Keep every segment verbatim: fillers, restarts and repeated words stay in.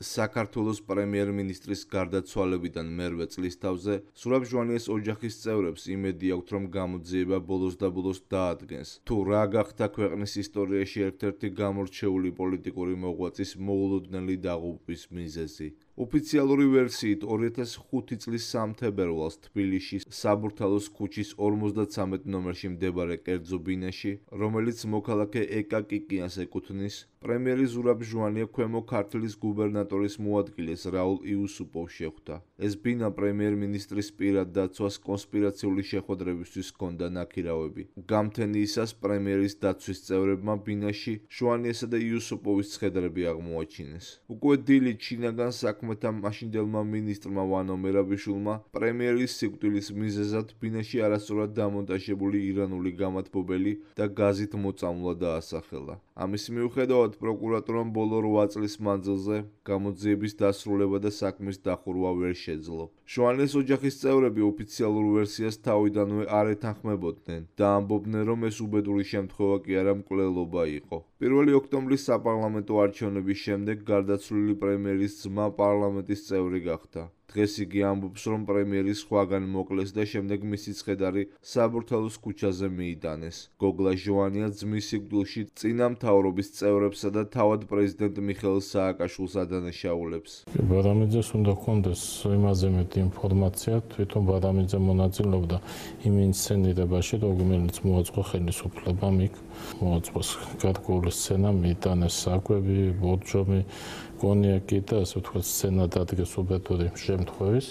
საქართველოს პრემიერ-მინისტრის გარდაცვალებიდან მერვე წლის თავზე სურაბ ჟვანიეს ოჯახის წევრებს იმედი აქვთ, რომ გამოძიება ბოლოს და ბოლოს დაადგენს. თუ რა გახდა ქვეყნის ისტორიაში ერთ-ერთი გამორჩეული პოლიტიკური მოღვაწის მოულოდნელი დაღუპვის მიზეზი. ოფიციალური ვერსიით ორი ათას ხუთი წლის სამთებერვალს თბილისში საბურთალოს ქუჩის ორმოცდათრამეტ ნომერში მდებარე კერძო ბინაში, რომელიც მოქალაქე ეკა კიკიანს ეკუთვნის, პრემიერი ზურაბ ჟვანია ქვემო ქართლის გუბერნატორის მოადგილეს რაულ იუსუპოვს შეხვდა. ეს ბინა პრემიერ-მინისტრის პირად დაცვას კონსპირაციული შეხვედრებისთვის ჰქონდა ნაქირავები. გამთენიისას პრემიერის დაცვის წევრებმა ბინაში ჟვანიესა და იუსუპოვის ცხედრები აღმოაჩინეს. უკვე დილით შინაგან საქმეთა მაშინდელმა მინისტრმა ვანო მერაბიშვილმა პრემიერის სიკვდილის მიზეზად ბინაში არასწორად დამონტაჟებული ირანული გამათბობელი და გაზით მოწამვლა დაასახელა. ამის მიუხედავად პროკურატურამ ბოლო რვა წლის მანძილზე გამოძიების დასრულება და საქმის დახურვა ვერ შეძლო. ჟვანიეს ოჯახის წევრები ოფიციალურ ვერსიას თავიდანვე არ ეთანხმებოდნენ და ამბობდნენ, რომ ეს უბედური შემთხვევა კი არა მკვლელობა იყო. პირველი ოქტომბრის საპარლამენტო არჩევნების შემდეგ გარდაცვლილი პრემიერის ძმა პარლამენტის წევრი გახდა. დღეს იგი ამბობს, რომ პრემიერი სხვაგან მოკლეს და შემდეგ მისი ცხედარი საბურთალოს ქუჩაზე მიიტანეს. გოგლა ჟვანია ძმის სიკვდილში წინა მთავრობის წევრებსა და თავად პრეზიდენტ მიხეილ სააკაშვილს ადანაშაულებს. ბადამიძეს უნდა ჰქონდეს იმაზე მეტი ინფორმაცია, თვითონ ბადამიძე მონაწილეობდა იმ ინსცენირებაში, რომელიც მოაწყო ხელისუფლებამ იქ მოაწყოს გარკვეული სცენა, მიიტანეს საკვები, ბორჯომი, კონიაკი და ასე ვთქვათ სცენა დადგეს უბედური შემთხვევის.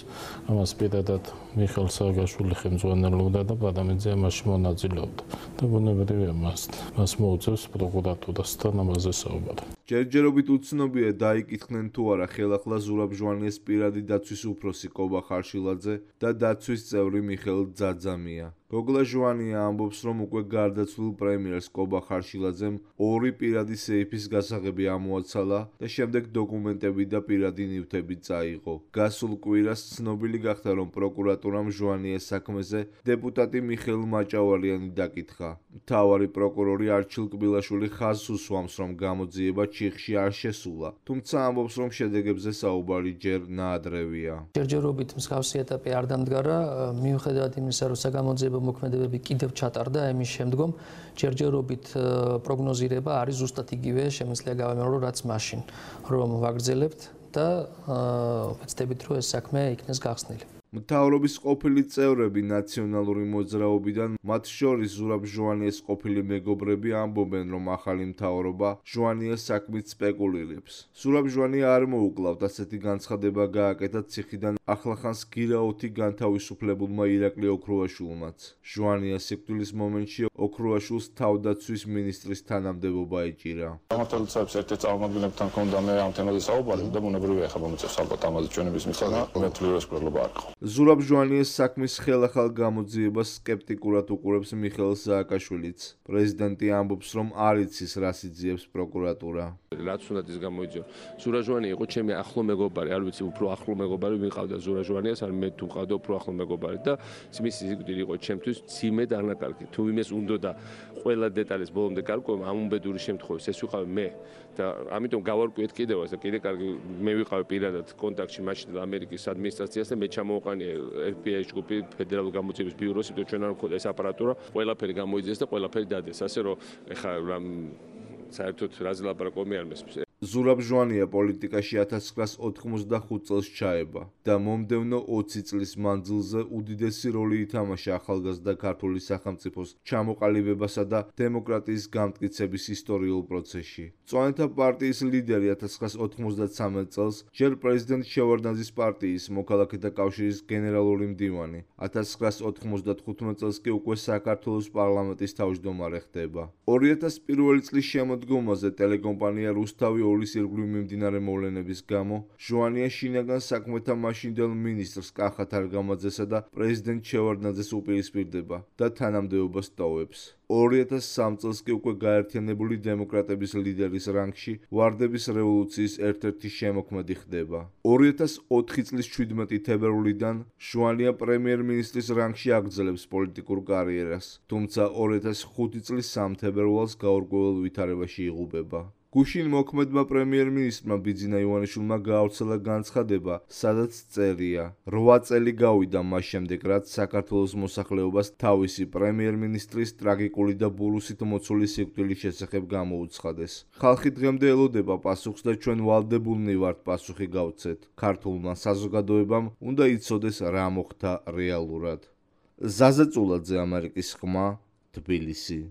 ამას პირადად მიხეილ სააკაშვილი ხელმძღვანელობდა და ბადამიძე ამაში მონაწილეობდა. და ბუნებრივია მას მას მოუწევს პროკურატურასთან ამაზე საუბარი. ჯერჯერობით უცნობია დაიკითხნენ თუ არა ხელახლა ზურაბ ჟვანიეს პირადი დაცვის უფროსი კობა ხარშილაძე და დაცვის წევრი მიხეილ ძაძამია. გოგლა ჟვანია ამბობს, რომ უკვე გარდაცვლილ პრემიერს კობა ხარშილაძემ ორი პირადი სეიფის გასაღები ამოაცალა და შემდეგ დოკუმენტები და პირადი ნივთები წაიღო. გასულ კვირას ცნობილი გახდა, რომ პროკურატურამ ჟვანიეს საქმეზე დეპუტატი მიხეილ მაჭავარიანი დაკითხა. მთავარი პროკურორი არჩილ კბილაშვილი ხაზს უსვამს, რომ გამოძიება ჩიხში არ შესულა, თუმცა ამბობს, რომ შედეგებზე საუბარი ჯერ ნაადრევია. ჯერჯერობით მსგავსი ეტაპი არ დამდგარა, მიუხედავად იმისა, რომ საგამოძიებო მოქმედებები კიდევ ჩატარდა, ამის შემდგომ ჯერჯერობით პროგნოზირება არის ზუსტად იგივე, შემიძლია გავამეორო, რაც მაშინ, რომ ვაგრძელებთ და ვეცდებით, რომ ეს საქმე იქნეს გახსნილი. მთავრობის ყოფილი წევრები ნაციონალური მოძრაობიდან, მათ შორის ზურაბ ჟვანიეს ყოფილი მეგობრები ამბობენ, რომ ახალი მთავრობა ჟვანიეს საქმით სპეკულირებს. ზურაბ ჟვანია არ მოუკლავთ ასეთი განცხადება გააკეთა ციხიდან ახლახანს გირაოთი განთავისუფლებულმა ირაკლი ოქრუაშვილმაც. ჟვანიას სიკვდილის მომენტში ოქრუაშვილს თავდაცვის მინისტრის თანამდებობა ეჭირა. გამართლებაც ერთ-ერთ წარმომადგენლებთან ჰქონდა მე ამ თემაზე საუბარი და ბუნებრივია ხა მომიწევს ალბათ ამაზე ჩვენების მისცემა, მე თვლი რომ ეს პრობლემა არ იყო. ზურაბ ჟვანიეს საქმის ხელახალ გამოძიებას სკეპტიკურად უყურებს მიხეილ სააკაშვილიც. პრეზიდენტი ამბობს, რომ არ იცის რას იძიებს პროკურატურა. რაც უნდა ის გამოიძიო. ზურაბ ჟვანია იყო ჩემი ახლო მეგობარი, არ ვიცი უფრო ახლო მეგობარი ვიყავდა ზურაბ ჟვანიას, არ მე თუ მყავდა უფრო ახლო მეგობარი და მისი სიკვდილი იყო ჩემთვის ციმედ არნაკარგი. თუ იმეს უნდა და ყველა დეტალის ბოლომდე გარკვევა ამ უბედური შემთხვევის ეს ვიყავი მე და ამიტომ გავარკვიეთ კიდევაც და კიდე კარგი მე ვიყავი პირადად კონტაქტში მაშინ ამერიკის ადმინისტრაციას და მე ჩამოვყანე ეფ ბი აი ჯგუფი ფედერალური გამოძიების ბიუროს, იმიტომ ჩვენ არ მქონდა ეს აპარატურა, ყველაფერი გამოიძიეს და ყველაფერი დადეს. ასე რომ ეხლა რამ საერთოდ რაზე ლაპარაკობი არ მესმის. ზურაბ ჟვანია პოლიტიკაში ათას ცხრაას ოთხმოცდახუთ წელს ჩაება და მომდევნო ოცი წლის მანძილზე უდიდესი როლი ითამაშა ახალგაზრდა ქართული სახელმწიფოს ჩამოყალიბებასა და დემოკრატიის გამტკიცების ისტორიულ პროცესში. მწვანეთა პარტიის ლიდერი ათას ცხრაას ოთხმოცდათრამეტ წელს ჯერ პრეზიდენტ შევარდნაძის პარტიის მოქალაქეთა კავშირის გენერალური მდივანი, ათას ცხრაას ოთხმოცდახუთმეტ წელს კი უკვე საქართველოს პარლამენტის თავმჯდომარე ხდება. ორი ათას პირველი წლის შემოდგომაზე ტელეკომპანია რუსთავი ოლის ირგვლივ მიმდინარე მოვლენების გამო ჟვანია შინაგან საქმეთა მაშინდელ მინისტრს კახა თარგამაძესა და პრეზიდენტ შევარდნაძეს უპირისპირდება და თანამდებობას ტოვებს. ორი ათას სამი წელს კი უკვე გაერთიანებული დემოკრატების ლიდერის რანგში ვარდების რევოლუციის ერთ-ერთი შემოქმედი ხდება. ორი ათას ოთხი წლის შვიდმეტი თებერვლიდან ჟვანია პრემიერ-მინისტრის რანგში აგრძელებს პოლიტიკურ კარიერას, თუმცა ორი ათას ხუთი წლის სამი თებერვალს გაურკვეველ ვითარებაში იღუპება. გუშინ მოქმედმა პრემიერ-მინისტრმა ბიძინა ივანიშვილმა გაავრცელა განცხადება, სადაც წერია: რვა წელი გავიდა მას შემდეგ, რაც საქართველოს მოსახლეობას თავისი პრემიერ-მინისტრის ტრაგიკული და ბურუსით მოცული სიკვდილის შესახებ გამოუცხადეს. ხალხი დღემდე ელოდება პასუხს და ჩვენ ვალდებულნი ვართ პასუხი გავცეთ. ქართულმა საზოგადოებამ უნდა იცოდეს რა მოხდა რეალურად. ზაზა წულაძე, ამერიკის ხმა, თბილისი.